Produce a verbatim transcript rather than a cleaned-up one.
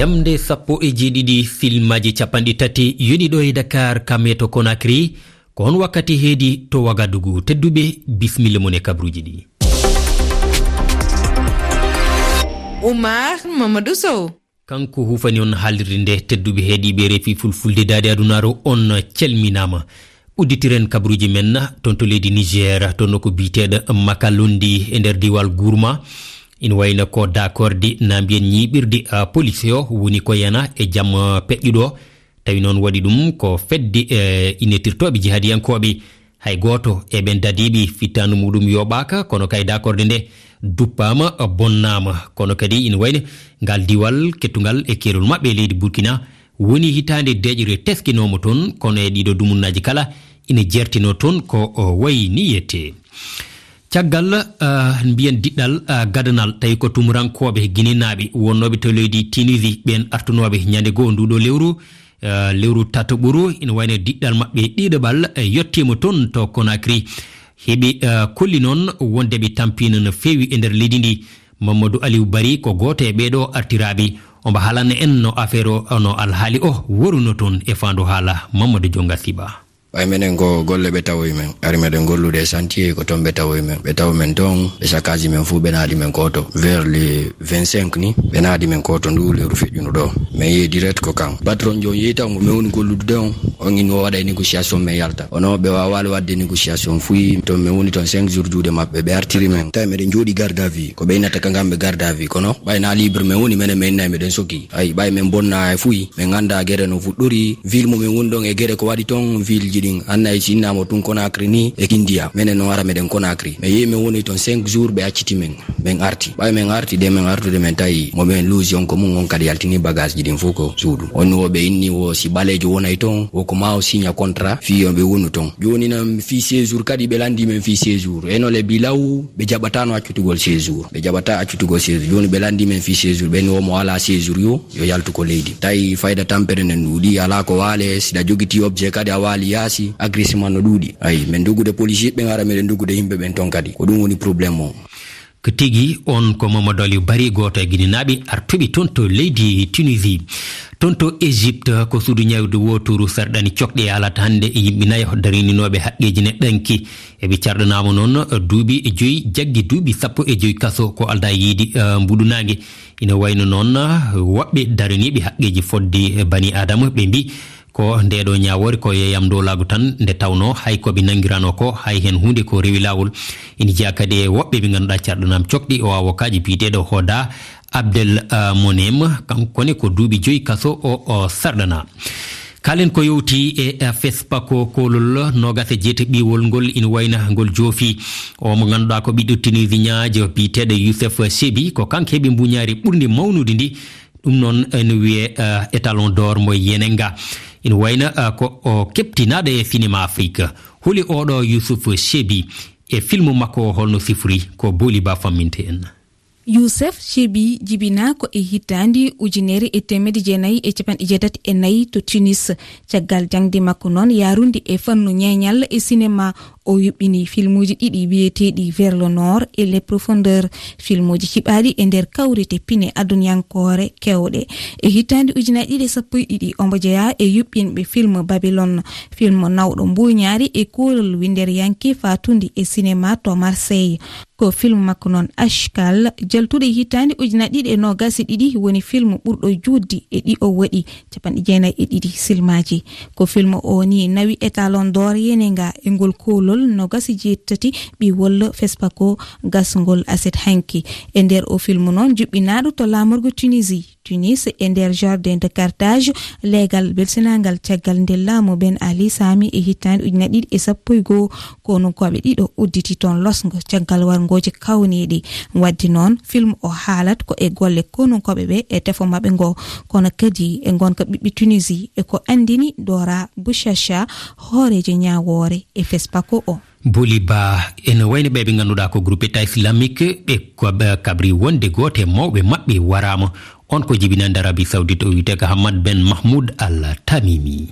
Am nde sappo e jeeɗiɗi filmaaji capanɗe tati yoni ɗo e Dakar, kam e to Conakry. Ko on wakkati heedi to Wagadugu? Tedduɓe, bismilla mon e kabruuji ɗi. Oumar Mamadou Sow. Kanko hufani on haalirde nde. Tedduɓe heediiɓe refi fulfulde daade adunaaru, on calminaama. Udditiren kabruuji men toon to leydi Niger, toon ko biyeteeɗo Makalondi e nder diiwal Gourma. Ina wayno ko daakorde na mbiyen ñiiɓirde, ah, police o woni ko yana e jam, ah, peƴƴuɗo. Tawi noon waɗi ɗum ko fedde, eh, innetirtooɓe jihadiyankooɓe. Hay gooto e ɓeen dadiiɓe fittaandu muɗum yooɓaaka, kono kay daakorde nde duppaama, bonnaama. Kono kadi ina wayno ngal diiwal kettungal e keerol maɓɓe e leydi Burkina woni hitaande deeƴre teskinooma toon, kono e ɗiɗo dumunnaaji kala ina jeertinoo toon ko o wayi ni yette. Caggal, ah, mbiyen diɗɗal, ah, gadanal, tawi ko tumurankooɓe Ginenaaɓe wonnooɓe to leydi Tunisie, ɓeen artunooɓe ñande goo nduuɗo lewru, ah, lewru tataɓuru, ina wayno diɗɗal maɓɓe ɗiɗaɓal, eh, yettiima toon to Conakry. Heɓe, ah, kolli noon wonde ɓe tampiino no feewi e nder leydi ndi. Mamadou Aliou Bari ko gooto e ɓeeɗo artiraaɓe. Omo haalana en no affaire o, no alhaali o woruno toon e faandu haala. Mamadou Jonga Siba. Ɓay menen ko golle ɓe tawoyi men. Ari meɗen gollude e chantier, ko toon ɓe tawoyi men. Ɓe tawi men toon, ɓe saccaaji men fuu, ɓe naadi men koto. Vers le vingt-cinq ni, ɓe naadi men koto ndu lewru feƴƴuno ɗo. Men yehi direct ko kan. Patron jooni yehi taw mo men woni gollude on, on ino waɗa e négociation men yalta. Kono ɓe waawaali waɗde négociation fuyi. Toon men woni toon cinq jours juuɗe maɓɓe, ɓe artiri men. Tawi meɗen jooɗi garde à vue. Ko ɓe innata ka ngamɓe garde à vue. Kono ɓay na libre men woni, menen men nayi meɗen soki. Ay, ɓay men bonna e fuyi, men annda gere no fuɗɗori, ville mo men woni ɗon e gere ko waɗi ton, ville ji ɗin. Anna e si innamo tun Conakry ni e Kindia. Menen no ara meɗen Conakry. Men yehi men woni ton cinq jours, ɓe acciti men. Men arti. Ɓay men arti de, men artude men tawi mo men luusi on ko mum, on kadi yaltini bagage ji ɗin fof ko suudu. On wo ɓe inni wo si ɓaleejo wonay ton, wo ko ma o signa contrat, fii yo ɓe wonu ton. Jooni nan fii séjour kadi ɓe landi men fii séjour. E no le bilaw, ɓe jaɓatano accutugol séjour. Ɓe jaɓata accutugol séjour. Jooni ɓe landi men fii séjour. Ɓen wo mo ala séjour yo, yo yaltu ko leydi. Tawi fayda tampere nden ɗuuɗi, ala ko waale, si ɗa jogiti objet kadi a waali yaasi, agressement no ɗuuɗi. Ayi, men dogude policier ɓen ara meɗen dogude yimɓe ɓen ton kadi. Ko ɗum woni problème o. Ko tigi on ko Mamadou Aliou Bari, gooto e Ginenaaɓe artuɓe ton to leydi Tunisie. Ton to Égypte, ko suudu ñaawirde wooturu sarɗani cokɗe e alata hannde e yimɓe nayo darininooɓe haqqeeji neɗɗanke. Eɓe carɗanaama noon duuɓi joyi, jaggi duuɓi sappo e joyi kaso ko aldaa yiide, eh, mbuɗunaange. Ina wayno noon, eh, woɓɓe daraniiɓe haqqeeji fodde bani Aadama, ɓe mbi ko ndeeɗo ñaawoore ko yeeyam ndowlaagu tan, nde tawnoo hay ko ɓe nanngirano ko, hay heen huunde ko rewi laawol. Ina jeyaa kadi e woɓɓe ɓe ngannduɗaa carɗanaama cokɗi, o awokaajo biyeteeɗo Hoda Abdel, eh, Monem, kankone ko duuɓi joyi kaso o, o sarɗanaa. Kaalen ko yowti e, eh, FESPACO, koolol noogas e jeetati ɓiwol ngol ina wayna ngol joofi. O mo ngannduɗaa ko ɓiɗɗo Tunisiñaajo biyeteeɗo Youssef Chebbi, ko kanko heɓi mbuñaari ɓurndi mawnude ndi. Ɗum noon ene wiyee, eh, Étalon d'Or mo Yenenga. Ina wayna, eh, ko o keɓtinaaɗo e sinema Afrik. Holi oɗo Youssouf Chebbi e film makko o, holno sifori? Ko Booli Ba famminte en. Youssef Chebbi jibinaa ko e hitaande ujunere e teemedde jeenayi e capanɗe jeetati e nayi to Tunis. Caggal jaŋde makko noon yaarunde e fannu ñeeñal e sinema, o yuɓɓini filmuuji ɗiɗi wiyeteeɗi Vers le Nord et Les Profondeurs, filmuuji ciɓaaɗi e nder kawrite pine adunyankoore keewɗe. E hitaande ujunaaji ɗiɗi e sappo e ɗiɗi, omo jeyaa e yuɓɓinɓe film Babylone, film nawɗo mbuuñaari e koolol winndere yanke faatunde e sinema to Marseille. Ko film makko noon Ashkal, jaltuɗo e hitaande ujunaaji ɗiɗi e noogas e ɗiɗi, woni film ɓurɗo juutde e ɗi o waɗi, capanɗe jeenayi e ɗiɗi silmaaji. Ko film o ni nawi Étalon d'Or Yenenga e ngol koolol noogas e jeetati ɓiwol FESPACO gasngol aset hanki. E nder o film noon, juɓɓinaaɗo to laamorgo Tunisie, Tunis, e nder jardin de Carthage, leegal belsinangal caggal nde laamu Ben Ali saami e hitaande ujunaaji ɗiɗi e sappo e goo, konunkooɓe ɗiɗo udditi toon losngo caggal warngooji kawniiɗi. Waɗde noon, film o haalat ko e golle konunkooɓe ɓe e tefo maɓɓe ngo, kono kadi e ngonka ɓiɓɓe Tunisie, e ko anndini Dora Bouchacha, hooreejo ñaawoore e FESPACO o. Booli Ba, ene wayno ɓe ɓe ngannduɗaa ko groupe État Islamique, ɓe ko ɓe kabri wonde gooto e mawɓe maɓɓe waraama. On ko jibinande Arabie Saoudite, o wiyetee ko Hamad Ben Mahmoud Al Tamimi.